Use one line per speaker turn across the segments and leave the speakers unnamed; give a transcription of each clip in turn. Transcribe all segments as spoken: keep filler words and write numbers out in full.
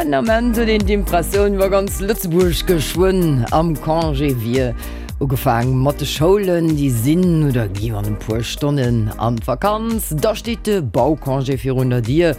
Den Ament huet een d'Impressioun, wa ganz Lëtzebuerg geschwënn am Congé wier. Ugefaang mat de Schoulen, déi sinn oder gi an e puer Stonnen an d'Vakanz. Da steet de Baucongé virun der Dier.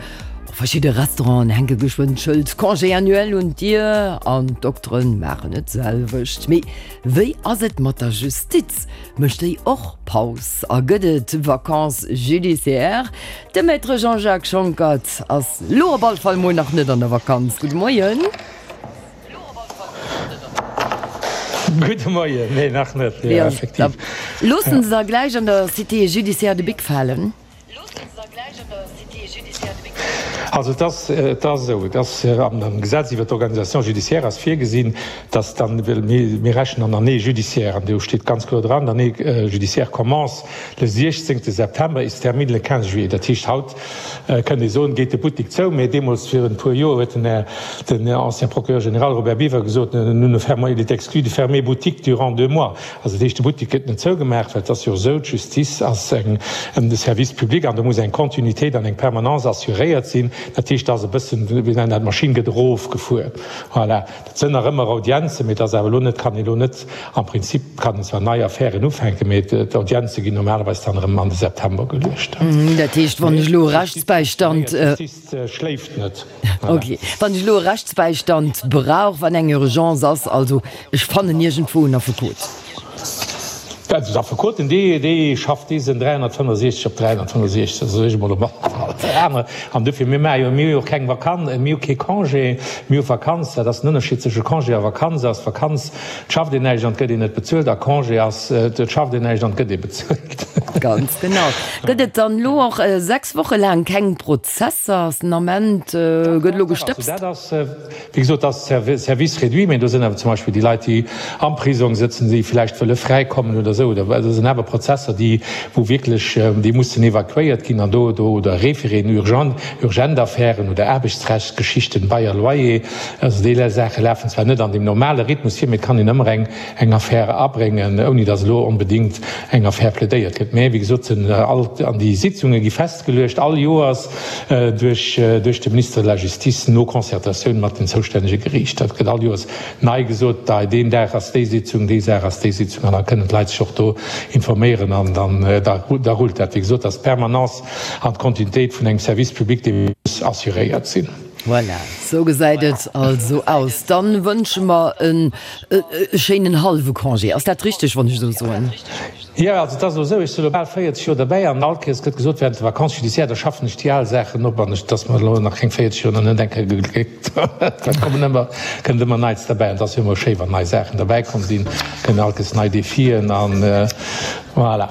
Och verschidde Restauranten hänke geschwënn d'Schëld Congé annuel un d'Dier an d'Dokteren maachen et selwecht. Mee wéi ass et mat der Justiz? Mécht déi och Paus a gëtt et Vacances judiciaires? De Maître Jean-Jacques Schonckert ass lo op all Fall mol nach net an der Vakanz. Gudde Moien.
Gudde Moien. Nee, nach net, jo, effektiv.
Loossen se da gläich an der Cité judiciaire de Bic falen?
Also et ass, et ass esou, et ass am Gesetz iwwert d'Organisation judiciaire ass virgesinn, dass dann, well mir, mir rechnen an Année judiciaire, an do steet ganz kloer dran, d'Année judiciaire commence le siechzéngte septembre et se termine le quinze juillet. Dat heescht, haut kënnt ee soen, geet de Buttek zou, mä deemools virun e puer Joer huet den Här, den ancien Procureur général Robert Biever gesot, nous ne fermons, il est exclu de fermer boutique durant deux mois. Also dat heescht, de Buttek gëtt net zougemaach, well et ass jo esou, d'Justice ass eng, e Service public an do muss eng Kontinuitéit an eng Permanence assuréiert sinn. Dat heescht, et ass e bëssen, wéi nennen dat, d'Maschinn gëtt erofgefuer. Voilà. Dat sinn nach ëmmer Audienzen, mee et ass awer elo net, kann ee elo net, am Prinzip kann een zwar nei Affären ufänken, mee d'Audienze ginn normalerweis dann erëm an de September geluecht.
Dat heescht, wann ech elo e Rechtsbäistand.
D'Justiz schléift net.
Okay. Wann ech elo e Rechtsbäistand brauch, wann eng Urgence ass, also ech fannen iergendwou en Affekot.
Also d'Affekoten, déi, déi schafft dee sënn dräihonnertfënnefosechzeg op dräihonnertfënnefosechzeg, dat soe ech emol op alle Fall. Aner, an dofir, mir maache jo, mir hu jo och keng Vakanz, mir hu kee Congé, mir hu Vakanz, dat ass den Ënnerscheed zwësche Congé a Vakanz ass, Vakanz, et schafft een näischt an et gëtt een net bezuelt a Congé ass, et schafft een näischt an et gëtt ee bezuelt.
Ganz genau. Gëtt et dann elo och sechs Woche laang keng Prozesser? Ass den Ament, gëtt elo gestëbst?
Dat ass, wéi gesot, dat ass Service réduit, mä do sinn awer zum Beispill déi Leit, déi am Prisong sëtzen, déi vläicht wëlle fräikommen oder esou, oder dat sinn awer Prozesser, déi, wou wierklech, déi mussen evakuéiert ginn an do, do, oder Référéen urgent, urgent Affären oder Aarbechtsrechtsgeschichten, Bail à loyer, also déi Saache lafen zwar net an deem normale Rhythmus vir, mä et kann een ëmmer eng, eng Affär abréngen, ouni datt elo onbedéngt eng Affär plädéiert gëtt. Mä wéi gesot sinn all, an déi Sitzunge gi festgeluecht all Joers duerch, duerch de Ministre de la Justice no Concertatioun mat den zoustännege Geriichter. Dat gëtt all Joers nei gesot, da deen Dag ass déi Sitzung, dee Dag ass déi Sitzung an da kënnen d'Leit sech och do informéieren an dann da da rullt dat. Wéi gesot, ass d'Permanence an d'Kontinuitéit vun engem Service public, dee muss assuréiert sinn.
Voilà, sou gesäit et also aus. Dann wënsche mer en schéinen hallwe Congé. Ass dat richteg, wann ech esou soen?
Jo, also et ass elo esou, ech sinn elo bal véierzeg Joer derbäi an all Kéiers gëtt gesot, während de Vacances judiciaires, da schaffen ech déi al Saachen op an ech, et ass mer elo nach keng véierzeg Joer, nach net eng Kéier gegléckt. Et kommen ëmmer, kënnt ëmmer Neits derbäi an et ass jo ëmmer schéi, wann nei Saachen derbäikomm sinn, kënnen all Kéiers nei Defien an voilà.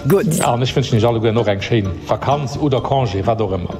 Gutt.
An ech wënschen Iech allegueren och eng schéin Vakanz oder Congé, wat och ëmmer.